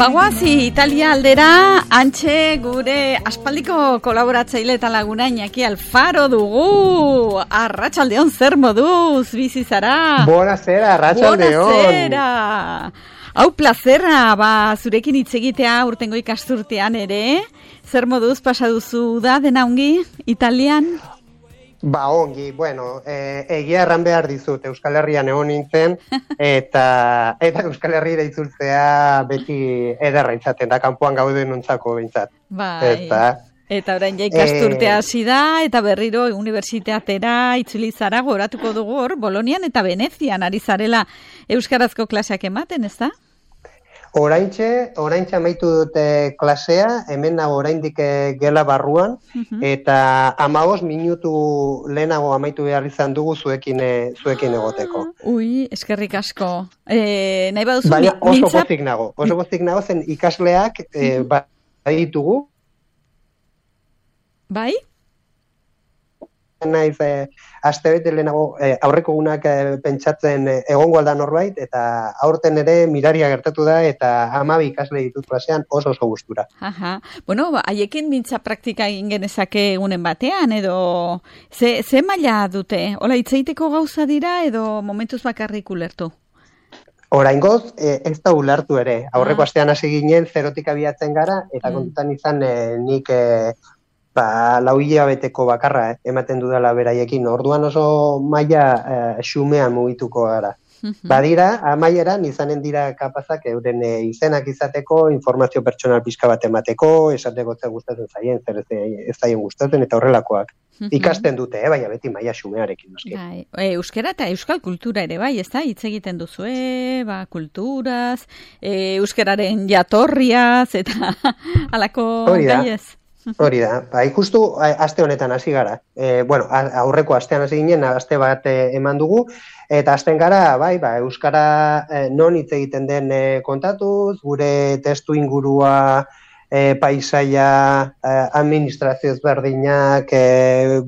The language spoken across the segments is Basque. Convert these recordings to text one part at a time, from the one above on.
Bagoazi Italia aldera, antxe gure aspaldiko kolaboratzaile eta laguna Iñaki Alfaro dugu. Arratsaldeon, zer moduz bizi zara? Buenasera, arratsaldeon. Buenasera. Hau plazerra, zurekin hitz egitea urtengo ikasturtean ere. Zer moduz pasa duzu da dena ongi Italian? Ongi, bueno, egia erran behar dizut, Euskal Herrian egon nintzen, eta Euskal Herriera itzultzea beti ederra izaten da, kanpoan gauden nontzako bintzat. Bai, eta orain ja ikasturtea hasi da, eta berriro unibertsitateera itzuli zara, goratuko dugu hor, Bolonian eta Venezian ari zarela euskarazko klaseak ematen, ez da? Oraintxe amaitu dute klasea, hemen nago oraindik gela barruan, eta 15 minutu lehenago amaitu behar izan dugu zuekin egoteko. Ui, eskerrik asko. Nahi baduzu, baina oso gozik nago zen ikasleak baditugu. Bai? Naiz astebete lehenago aurreko gunak pentsatzen egongo alda norbait, eta aurten ere miraria gertatu da, eta 12 ikasle ditut klasean oso gustura. Aha. Bueno, haiekin mintza praktika egin genezake egunen batean, edo ze maila dute? Hola, hitzeiteko gauza dira, edo momentuz bakarrik ulertu? Oraingoz, ez da ulertu ere. Aurreko astean hasi ginen, zerotik abiatzen gara, eta kontutan izan nik 4 hilabeteko bakarra ematen dudala beraiekin. Orduan oso maila xumean mugituko gara. Badira, amaieran izanen dira kapazak euren izenak izateko, informazio pertsonal pixka bat emateko, esateko zer gustatzen zaien, zer ez zaien gustatzen, eta horrelakoak. Ikasten dute, baina beti maila xumearekin. Euskara eta euskal kultura ere bai, ez da? Hitz egiten duzue, kulturaz, euskararen jatorriaz, eta halako gaiez. Hori da, ikustu aste honetan hasi gara. Aurreko astean hasi ginen, aste bat eman dugu, eta hasten gara, euskara non hitz egiten den kontatuz, gure testu ingurua, paisaia, administrazio ezberdinak,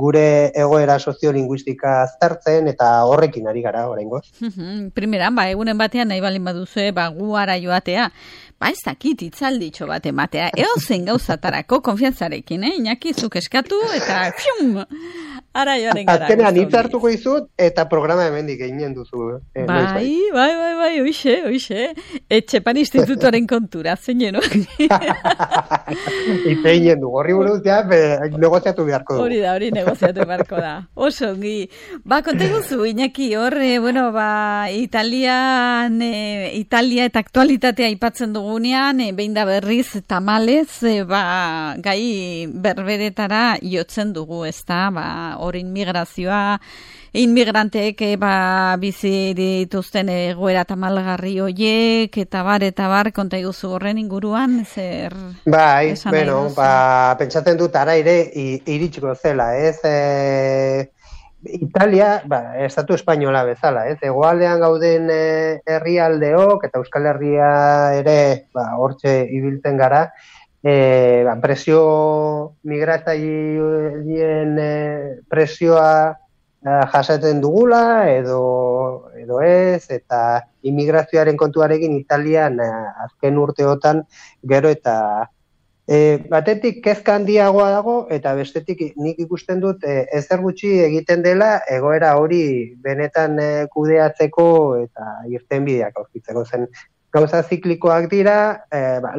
gure egoera soziolinguistika aztertzen, eta horrekin ari gara oraingoz. Primeran, egunen batean nahi balin baduzue, guara joatea, ez dakit itzalditxo bat ematea, eozen gauzatarako konfiantzarekin, Iñaki, zuk eskatu, eta fium, ara joaren gara. Azkenean hitz hartuko izut, eta programa hemendik eginen duzu. Bai, oixe. Etxepan institutoaren kontura, zein Itze eginen du, horri buruz, negoziatu beharko du. Hori negoziatu beharko da. Oso, ongi. Konta guzu, Iñaki, hor, Italia eta aktualitatea aipatzen dugunean, behin da berriz, tamalez, gai berberetara jotzen dugu, ez da, hor inmigrazioa, inmigranteek bizi dituzten egoera tamalgarri hoiek, eta bar, konta iguzu horren inguruan, zer... Pentsatzen dut ara ere iritsiko zela, ez? Italia, estatu espainola bezala, ez? Hegoaldean gauden herrialdeok, eta Euskal Herria ere, hortxe ibiltzen gara, presio migratzaileen presioa jasaten dugula, edo ez, eta immigrazioaren kontuarekin Italian azken urteotan gero eta batetik kezka handiagoa dago, eta bestetik nik ikusten dut ezer gutxi egiten dela egoera hori benetan kudeatzeko eta irtenbideak aurkitzeko zen. Gauza ziklikoak dira,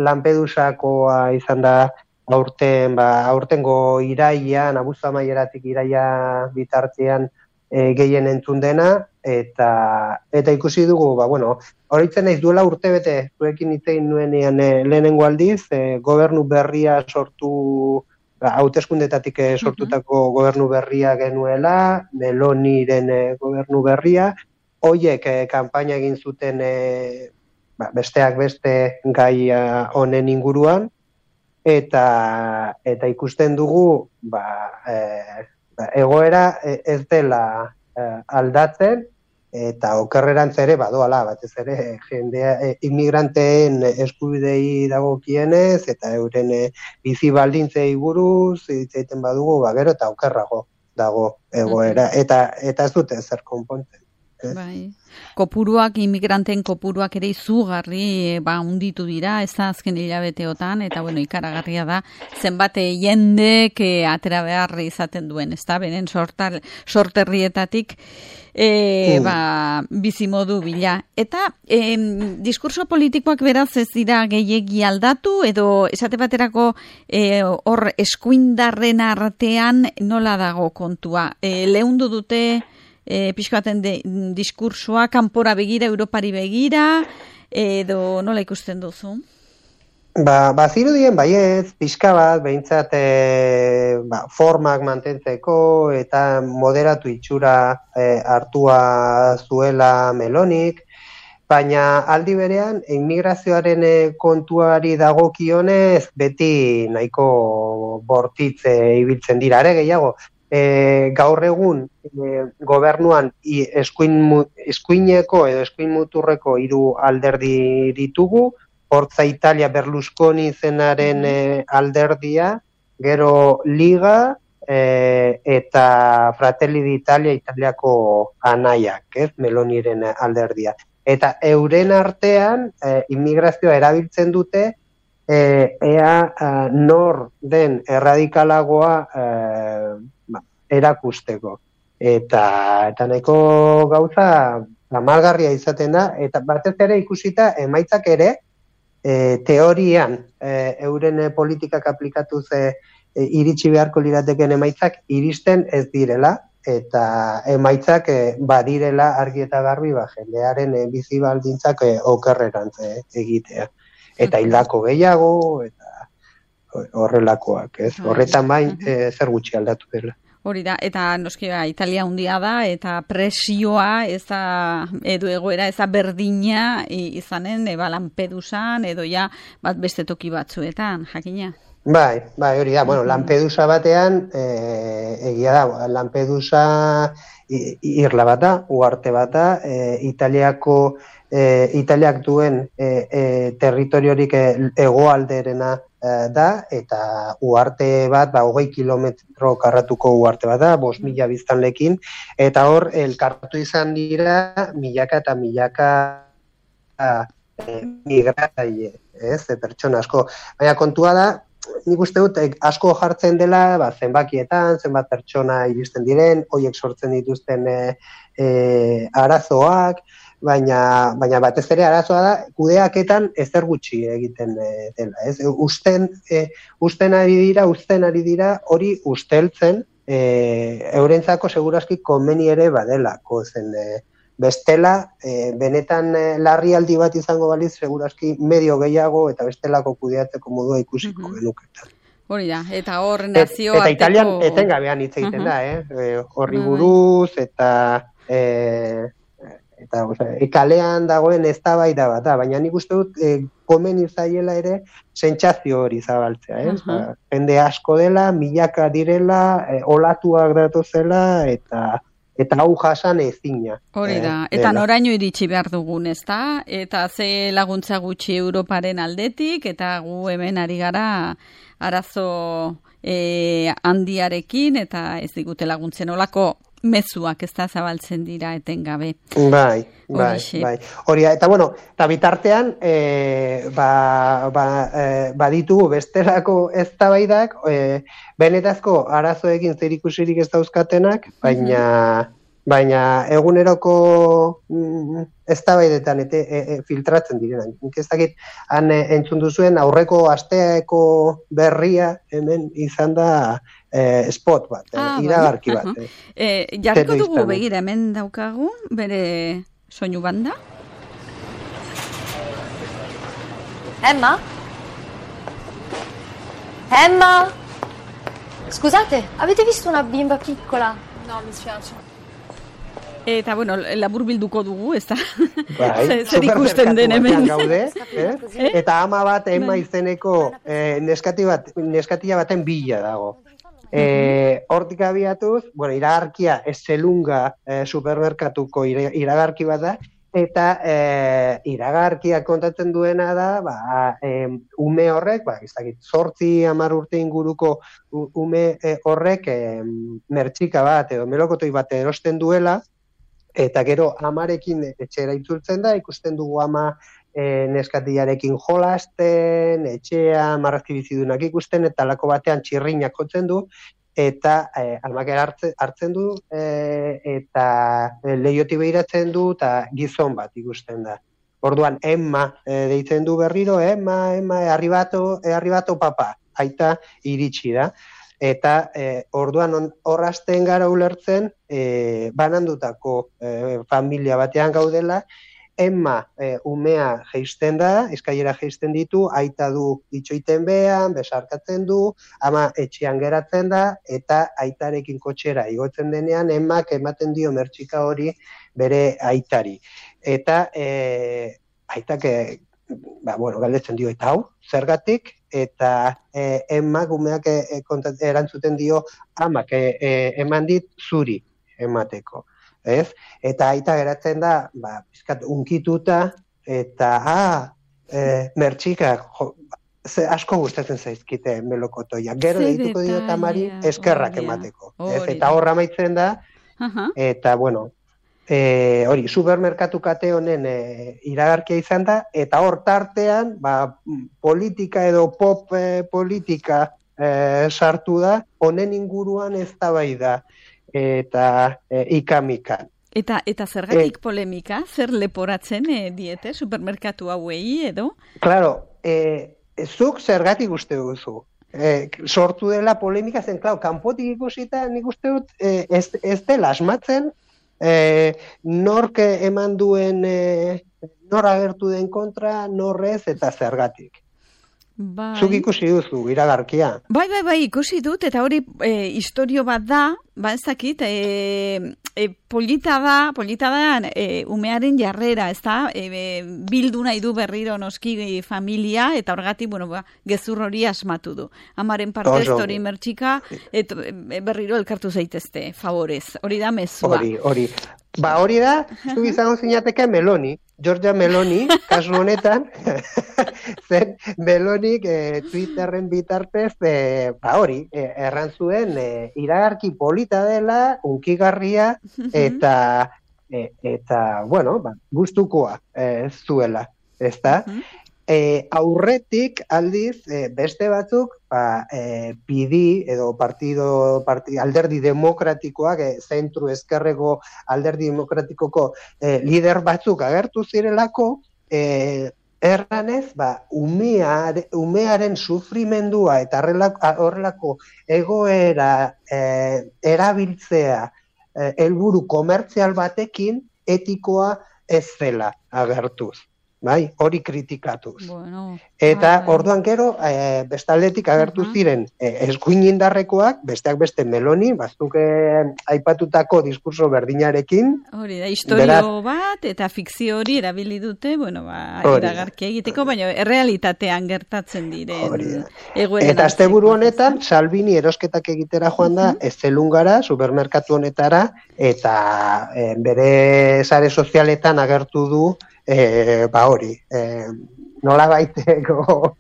Lampedusakoa izan da aurtengo irailean, abuztu amaieratik iraila bitartean gehien entzun dena, eta ikusi dugu, horitzen naiz duela urtebete, zuekin hitzein nuenean lehenengo aldiz, gobernu berria sortu, hauteskundetatik sortutako gobernu berria genuela, Meloniren gobernu berria, hoiek kanpaina egin zuten besteak beste gai honen inguruan, eta ikusten dugu egoera ez dela aldatzen, eta okerrerantz ere badoala, batez ere jendea inmigranteen eskubidei dagokienez, eta euren bizi baldintzei buruz hitz egiten badugu, gero eta okerrago dago egoera, eta ez dute zer konpontzen. Bai. Kopuruak, inmigranten kopuruak ere izugarri unditu dira, ez da azken hilabeteotan, eta ikaragarria da, zenbat jendek atera behar izaten duen, ez da, beren sorterrietatik bizimodu bila. Eta diskurso politikoak beraz ez dira gehiegi aldatu, edo esate baterako hor eskuindarren artean nola dago kontua. Leundu dute pixkaten diskursoa, kanpora begira, Europari begira, edo nola ikusten duzu? Bazirudien baiez, pixka bat, behintzat formak mantentzeko eta moderatu itxura hartua zuela Melonik, baina aldi berean, immigrazioaren kontuari dagokionez beti nahiko bortitze ibiltzen dira, ere gehiago. Gaur egun gobernuan eskuineko edo eskuin muturreko 3 alderdi ditugu, Forza Italia Berlusconi zenaren alderdia, gero Liga eta Fratelli d'Italia Italiako anaiak, Meloniren alderdia. Eta euren artean immigrazioa erabiltzen dute ea nor den erradikalagoa erakusteko. Eta nahiko gauza amalgarria izaten da, eta batez ere ikusita emaitzak ere teorian euren politikak aplikatuz iritsi beharko lirateken emaitzak iristen ez direla, eta emaitzak badirela argi eta garbi jendearen bizi baldintzak okerrerantz egitea. Eta hildako gehiago, eta horrelakoak, ez? Horretan bain zer gutxi aldatu dela. Hori da, eta noski Italia handia da, eta presioa edo egoera eza berdina izanen Lampedusan edo ja bat beste toki batzuetan, jakina? Bai, hori da, Lampedusa batean, egia da, Lampedusa irla bat da, uharte bat da, Italiak duen territoriorik hegoalderena da, eta uharte bat, 20 kilometro karratuko uharte bat da, 5.000 biztanlekin, eta hor, elkartu izan dira, milaka eta milaka migratzaile, pertsona asko. Baina kontua da, nik uste dut, asko jartzen dela, zenbakietan, zenbat pertsona iristen diren, horiek sortzen dituzten arazoak, baina batez ere arazoa da, kudeaketan ezer gutxi egiten dela. Usten ari dira, hori usteltzen, eurentzako segurazki komeni ere badelako zen. Bestela, benetan larrialdi bat izango baliz, segurazki medio gehiago eta bestelako kudeatzeko modua ikusiko genuketan. Hori da, eta hor nazioarteko... Eta Italian etengabean hitz egiten da, horri buruz, eta kalean dagoen eztabaida bat da, baina nik uste dut komeni zaiela ere sentsazio hori zabaltzea, jende asko dela, milaka direla, olatuak datozela, eta hau jasan ezina. Hori da, eta noraino iritsi behar dugun, ez da? Eta ze laguntza gutxi Europaren aldetik, eta gu hemen ari gara arazo handiarekin, eta ez digute laguntzen olako mezuak ez da zabaltzen dira etengabe. Bai. Hori, eta eta bitartean, baditugu bestelako eztabaidak, benetazko arazoekin zerikusirik ez dauzkatenak, baina eguneroko eztabaidetan filtratzen direnak. Nik ez dakit, han entzun duzuen aurreko asteako berria hemen izan da spot bat, iragarki bat. Jarriko dugu begira hemen daukagu, bere soinu banda. Emma? Scusate, avete visto una bimba piccola? No, mi spiace. Eta, labur bilduko dugu, ez da? Zer ikusten den hemen. Gaude, eta ama bat, Emma izeneko neskatila baten bila dago. Hortik abiatuz, iragarkia Esselunga supermerkatuko iragarki bat da, eta iragarkia kontatzen duena da, ume horrek, 8-10 urte inguruko ume horrek mertxika bat edo melokotoi bat erosten duela, Eta gero amarekin etxera itzultzen da, ikusten dugu ama neskatiarekin jolasten, etxea, marrazki bizidunak ikusten, eta lako batean txirrinak jotzen du, eta amak hartzen du, eta leioti behiratzen du, eta gizon bat ikusten da. Orduan, Emma deitzen du berriro, Emma, arribato papa, aita iritsi da. Eta orduan horrazten gara ulertzen, banandutako familia batean gaudela, Emma umea jeisten da, eskailera jeisten ditu, aita du itxoiten behan, besarkatzen du, ama etxean geratzen da, eta aitarekin kotxera igotzen denean, Emmak ematen dio mertxika hori bere aitari. Eta aitak, galdetzen dio, eta hau, zergatik, eta Emmak umeak erantzuten dio, amak eman dit zuri emateko. Ez? Eta aita geratzen da, pizkat unkituta, eta mertxikak asko gustatzen zaizkite melokotoia. Gero deituko dio tamari eskerrak emateko. Eta horra amaitzen da, eta hori, supermerkatu kate honen iragarkia izan da, eta hor tartean, politika edo pop politika sartu da, honen inguruan eztabaida eta ikamikan. Eta zergatik polemika? Zer leporatzen diete supermerkatu hauei edo? Claro, zuk zergatik uste duzu. Sortu dela polemika zen, kanpotik ikusita nik uste dut ez dela asmatzen, nork eman duen, nor agertu den kontra, norrez eta zergatik. Zuk ikusi duzu, iragarkia. Bai, ikusi dut, eta hori istorio bat da, ez dakit, polita da umearen jarrera, ez da, bildu nahi du berriro noski familia, eta horregatik, gezur hori asmatu du. Amaren partez, hori mertxika, berriro elkartu zaitezte, favorez. Hori da mezua. Hori. Hori da, zu izango zinateke Meloni, Giorgia Meloni, kasu honetan, zen Melonik Twitterren bitartez, errantzuen iragarki polita dela, unkigarria, eta gustukoa zuela, ezta? Aurretik aldiz beste batzuk pidi edo alderdi demokratikoak zentru ezkerreko alderdi demokratikoko lider batzuk agertu zirelako erranez umearen sufrimendua eta horrelako egoera erabiltzea helburu komertzial batekin etikoa ez zela agertuz. Hori kritikatuz. Eta orduan gero, bestaldetik agertu ziren eskuinindarrekoak, besteak beste Meloni, bazuk aipatutako diskurso berdinarekin. Hori da, historio bat, eta fikzio hori erabili dute, iragarki egiteko, baina errealitatean gertatzen diren egoeren. Eta asteburu honetan, Salvini erosketak egitera joan da, Ezelungara, supermerkatu honetara, eta bere sare sozialetan agertu du, hori, nola baiteko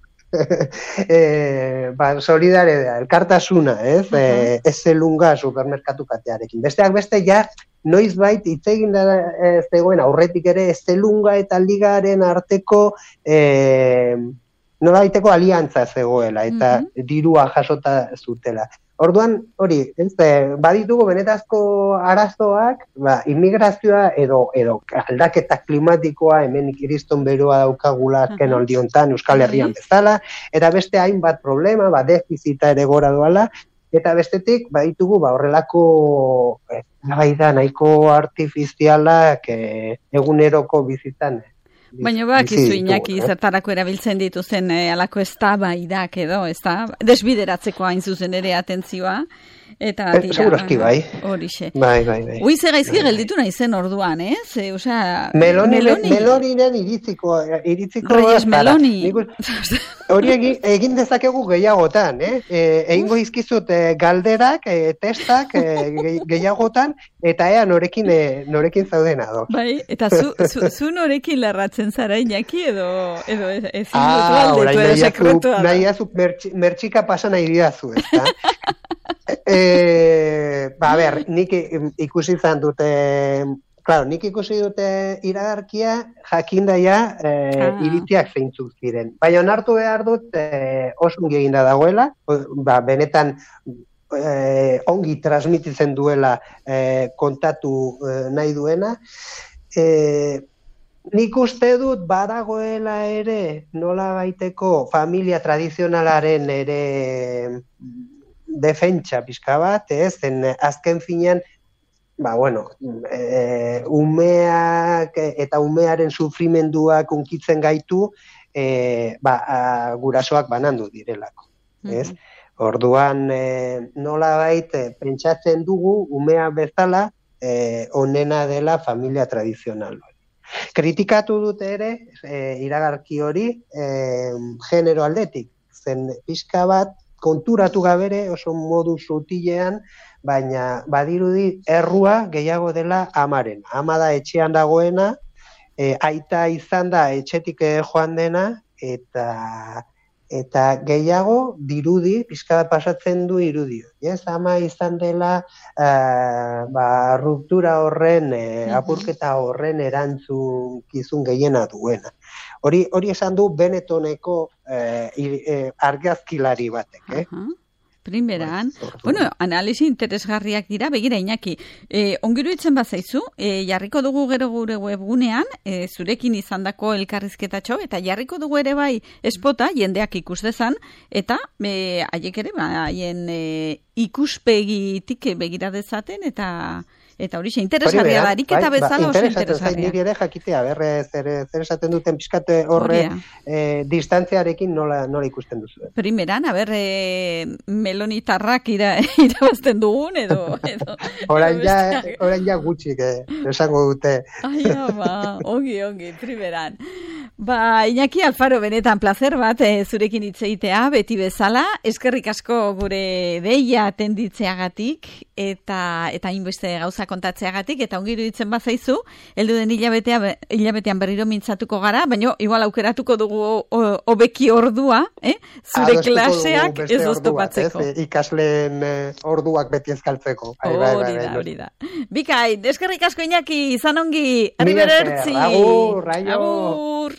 solidaridea, elkartasuna, ez? Ezelunga supermerkatu katearekin. Besteak beste, noiz bait itzegin da zegoen aurretik ere Ezelunga eta Ligaren arteko nola baiteko aliantza zegoela, eta dirua jasota zutela. Orduan, hori, baditugu benetazko arazoak, immigrazioa edo aldaketa klimatikoa hemen kiriston beroa daukagula azken aldiontan Euskal Herrian bezala, eta beste hainbat problema, defizita ere gora doala, eta bestetik baditugu horrelako nahiko artifizialak eguneroko bizitzan. Baina bakizu Iñaki zertarako erabiltzen dituzen alako eztabaidak edo, desbideratzeko hain zuzen ere atentzioa. Segurazki bai. Horixe. Bai. Uize gaizki gelditu nahi zen orduan, ez? Meloninen iritziko. Reyes Meloni. Hori egin dezakegu gehiagotan, egingo izkizut galderak, testak gehiagotan, eta ea norekin zauden ado. Bai, eta zu norekin lerratzen zara Iñaki edo ezin dutu aldetu edo sekretua da. Nahi azu mertxika pasan nahi didazu, ez da? Nik ikusi izan dute Claro, nik ikusi dute iragarkia jakindaia iritziak zeintzuk ziren. Baina onartu behar dut oso ongi eginda dagoela, benetan ongi transmititzen duela kontatu nahi duena. Nik uste dut badagoela ere nola baiteko familia tradizionalaren ere defentsa pixka bat, zen azken finean umeak eta umearen sufrimenduak unkitzen gaitu gurasoak banandu direlako. Orduan nolabait pentsatzen dugu umea bezala onena dela familia tradizional. Kritikatu dute ere iragarki hori genero aldetik, zen pixka bat konturatu gabere oso modu sutilean, baina badirudi errua gehiago dela amaren. Ama da etxean dagoena, aita izan da etxetik joan dena, eta gehiago dirudi, pixka bat pasatzen du irudio. Ama izan dela ruptura horren, apurketa horren erantzukizun gehiena duena. Hori esan du Benettoneko argazkilari batek, Primeran, analisi interesgarriak dira, begira Iñaki, ongiru itzen bazaizu, jarriko dugu gero gure webgunean, zurekin izandako elkarrizketatxo, eta jarriko dugu ere bai espota, jendeak ikus dezan, eta haiek ere, haien ikuspegitik begira dezaten, eta hori interesgarria da, ariketa bezala oso interesgarria. Niri ere jakitea, zer esaten duten pixkate horre distantziarekin nola ikusten duzu. Primeran, melonitarrak irabazten dugun, edo... Orain ja gutxik, esango dute. Ongi, primeran. Iñaki Alfaro, benetan placer bat zurekin hitzeitea, beti bezala, eskerrik asko gure deia tenditzeagatik, eta hainbeste gauza kontatzeagatik, eta ongi iruditzen bazaizu, heldu den hilabetean berriro mintzatuko gara, baina igual aukeratuko dugu hobeki ordua, zure klaseak ez oztopatzeko. Ikasleen orduak beti ezkaltzeko. Hori da. Bikain, eskerrik asko Iñaki, izan ongi, arriberertzi. Agur.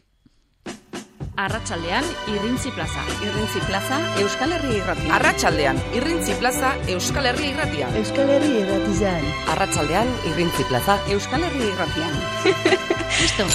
Arratsaldean Irrintzi Plaza. Irrintzi Plaza, Euskal Herria Irratia. Arratsaldean Irrintzi Plaza, Euskal Herria Irratia. Euskal Herria Irratian. Arratsaldean Irrintzi Plaza, Euskal Herria Irratia. Listo.